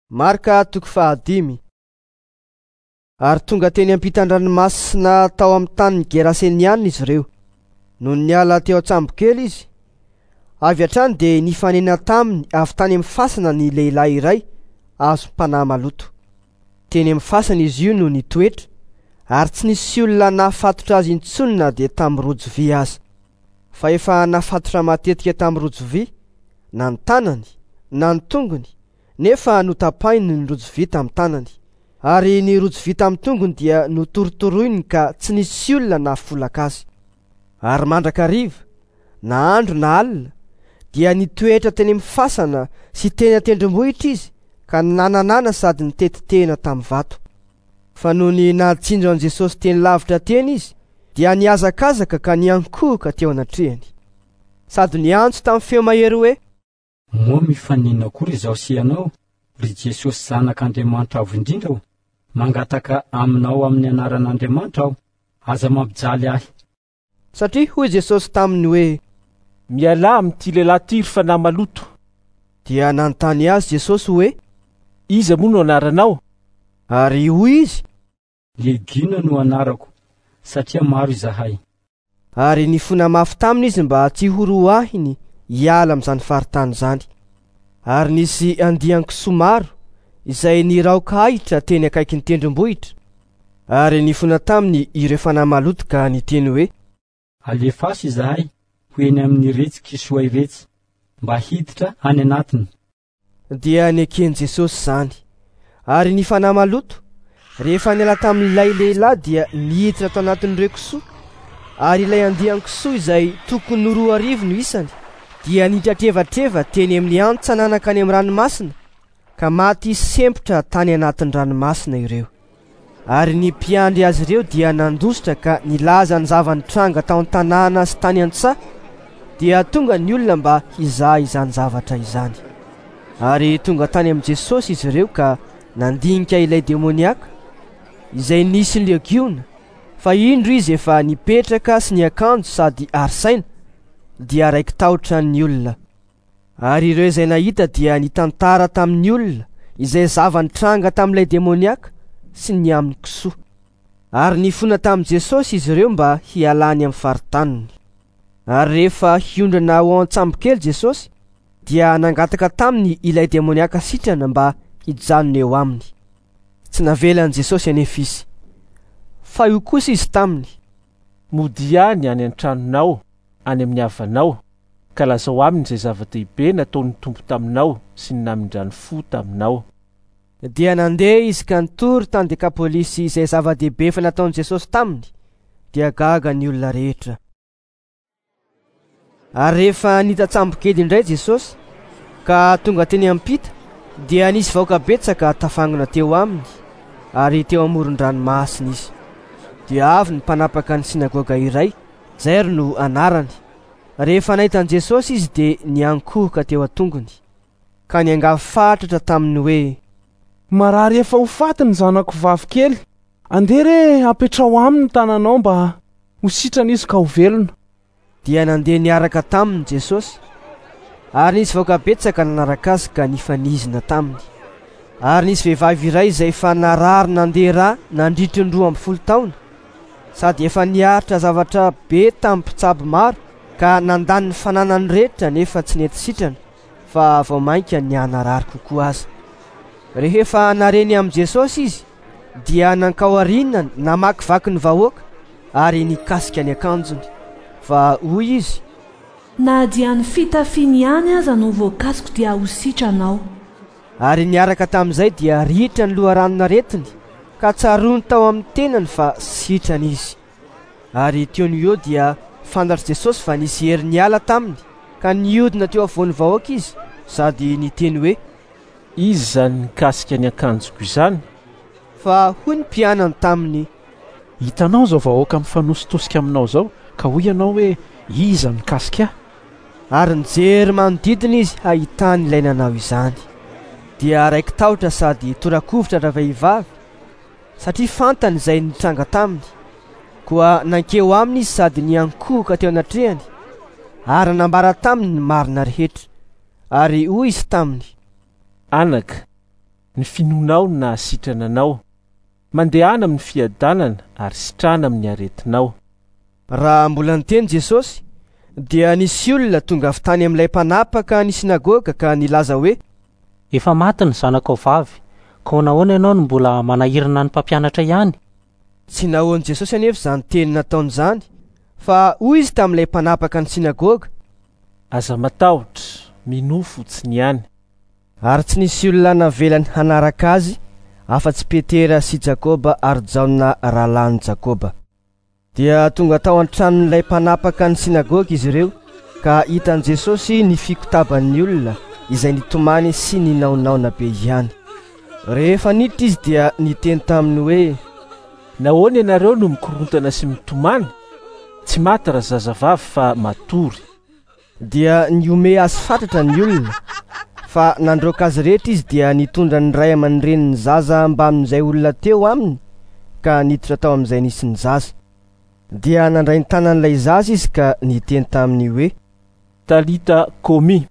Marka toko fahadimy. Ary tonga teny ampitan-dranomasina tao amin'ny tanin'ny Gerasenianina izy ireo. Nony niala teo an-tsambokely izy, avy hatrany dia nifanena taminy avy tany amin'ny fasana ny lehilahy iray azom-panahy maloto. Teny amin'ny fasana izy io no nitoetra, ary tsy nisy olona nahafatotra azy intsony na dia tamin'ny rojo vy aza. Fa efa nafatotra matetika tamin'ny rojo vy, na ny tanany, na ny tongony, nefa notapahiny ny rojo vy tamin'ny tanany. Ary ny rojo vy tamin'ny tongony dia notorotoroiny ka tsy nisy olona nahafolaka azy. Ary mandrakariva, na andro na alina, dia nitoetra teny amin'ny fasana sy teny an-tendrombohitra izy ka nananana sady niteti-tena tamin'ny vato. Fa nony nahatsinjo an'i Jesosy teny lavitra teny izy, dia nihazakazaka ka niankohoka teo anatrehany. Sady niantso tamin'ny feo mahery hoe. Moa mifaninona akory izaho sy ianao, ry Jesosy Zanak'Andriamanitra Avo Indrindra ô? Mangataka aminao amin'ny anaran'Andriamanitra aho, aza mampijaly ahy. Satria hoy Jesosy taminy hoe. Mialà amin'ity lehilahy ity, ry fanahy maloto. Dia nanontany azy Jesosy hoe. Iza moa no anaranao? Ary hoy izy. Legiona no anarako, satria maro izahay. Ary nifona mafy taminy izy mba tsy horoahiny hiala amin'izany faritany izany. Ary nisy andian-kisoa maro izay niraoka ahitra teny akaikin'ny tendrombohitra. Ary nifona taminy ireo fanahy maloto ka niteny hoe. Alefaso izahay ho eny amin'iretsy kisoa iretsy, mba hiditra any anatiny. Dia neken'i Jesosy izany. Ary ny fanahy maloto, rehefa niala tamin'ilay lehilahy dia niditra tao anatin'ireo kisoa, ary ilay andian-kisoa izay tokony ho 2000 no isany, dia nitratrevatreva teny amin'ny hantsana nankany amin'ny ranomasina, ka maty sempotra tany anatin'ny ranomasina ireo. Ary ny mpiandry azy ireo dia nandositra ka nilaza ny zava-nitranga tao an-tanàna sy tany an-tsaha, dia tonga ny olona mba hizaha izany zavatra izany. Ary tonga tany amin'i Jesosy izy ireo ka nandinika ilay demoniaka, izay nisy legiona, fa indro izy efa nipetraka sy niakanjo sady ary saina, dia raiki-tahotra ny olona. Ary ireo izay nahita dia nitantara tamin'ny olona izay zava-nitranga tamin'ilay demoniaka sy ny amin'ny kisoa. Ary nifona tamin'i Jesosy izy ireo mba hialany amin'ny faritaniny. Ary rehefa hiondrana ao an-tsambokely Jesosy, dia nangataka taminy ilay demoniaka sitrana mba hijanona eo aminy. Tsy navelan'i Jesosy anefa izy. Fa io kosa izy taminy. Modia any any an-tranonao, any amin'ny havanao, ka lazao aminy izay zava-dehibe nataon'ny Tompo taminao sy ny namindrany fo taminao. Dia nandeha izy ka nitory tany Dekapolisy izay zava-dehibe efa nataon'i Jesosy taminy, dia gaga ny olona rehetra. Ary rehefa nita-tsambokely indray Jesosy, ka tonga teny ampita, dia nisy vahoaka betsaka tafangona teo aminy, ary teo amoron-dranomasina izy. Dia avy ny mpanapaka ny synagoga iray, Jairo no anarany. Rehefa nahita an'i Jesosy izy dia niankohoka teo an-tongony, ka niangavy fatratra taminy hoe. Marary efa ho faty ny zanako vavy kely. Andeha re apetraho aminy ny tananao mba ho sitrana izy ka ho velona. Dia nandeha niaraka taminy Jesosy, ary nisy vahoaka betsaka nanaraka azy ka nifanizina taminy. Ary nisy vehivavy iray izay efa narary nandeha rà nandritry ny 12 taona, sady efa niaritra zavatra be tamin'ny mpitsabo maro ka nandany ny fananany rehetra nefa tsy nety sitrana, fa vao mainka nihanarary kokoa aza. Rehefa nareny amin'i Jesosy izy, dia nankao aorianany namakivaky ny vahoaka ary nikasika ny akanjony. Fa hoy izy. Na dia ny fitafiany ihany aza no voakasiko dia ho sitrana aho. Ary niaraka tamin'izay dia ritra ny loharanon'aretiny, ka tsaroany tao amin'ny tenany fa sitrana izy. Ary teo no eo dia fantatr'i Jesosy fa nisy hery niala taminy, ka nihodina teo afovoan'ny vahoaka izy sady niteny hoe. Iza izany nikasika ny akanjoko izany? Fa hoy ny mpianany taminy. Hitanao izao vahoaka mifanositosika aminao izao, ka hoy ianao hoe, Iza no nikasika ahy? Ary nijery manodidina izy hahitany ilay nanao izany. Dia raiki-tahotra sady tora-kovitra ravehivavy, satria fantany izay nitranga taminy. Koa nankeo aminy izy sady niankohoka teo anatrehany, ary nanambara taminy ny marina rehetra. Ary hoy izy taminy. Anaka, Ny finoanao no nahasitrana anao. Mandehana amin'ny fiadanana ary sitrana amin'ny aretinao. Raha mbola niteny Jesosy, dia nisy olona tonga avy tany amin'ilay mpanapaka ny synagoga ka nilaza hoe: Efa maty ny zanakao vavy, koa nahoana ianao no mbola manahirana ny mpampianatra ihany? Tsy nahoan'i Jesosy anefa izany teny nataony izany, fa hoy izy tamin'ilay mpanapaka ny synagoga: Aza matahotra, minoa fotsiny ihany. Ary tsy nisy olona navelany hanaraka azy afa-tsy Petera sy Jakoba ary Jaona rahalahin'i Jakoba. Dia tonga tao an-tranon'ilay mpanapaka ny synagoga izy ireo, ka hitan'i Jesosy ny fikotaban'ny olona izay nitomany sy ninaonaona be ihany. Rehefa niditra izy dia niteny taminy hoe: Nahoana ianareo no mikorontana sy mitomany? Tsy maty razazavavy fa matory. Dia nihomehy azy fatratra ny olona, fa nandroaka azy rehetra izy dia nitondra ny ray aman-drenin'ny zaza mbamin'izay olona teo aminy ka niditra tao amin'izay nisy ny zaza. Dia nandray ny tanan'ilay zaza izy ka niteny taminy hoe: Talita komi.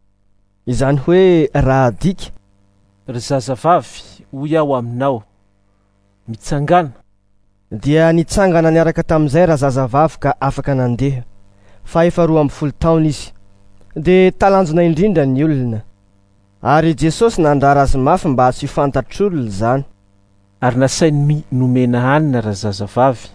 Izany hoe raha adika: Ry zazavavy, hoy aho aminao, mitsangàna. Dia nitsangana niaraka tamin'izay razazavavy ka afaka nandeha, fa efa 12 taona izy. Dia talanjona indrindra ny olona. Ary Jesosy nandrara azy mafy mba tsy ho fantatr'olona izany. Ary nasainy nomena hanina razazavavy.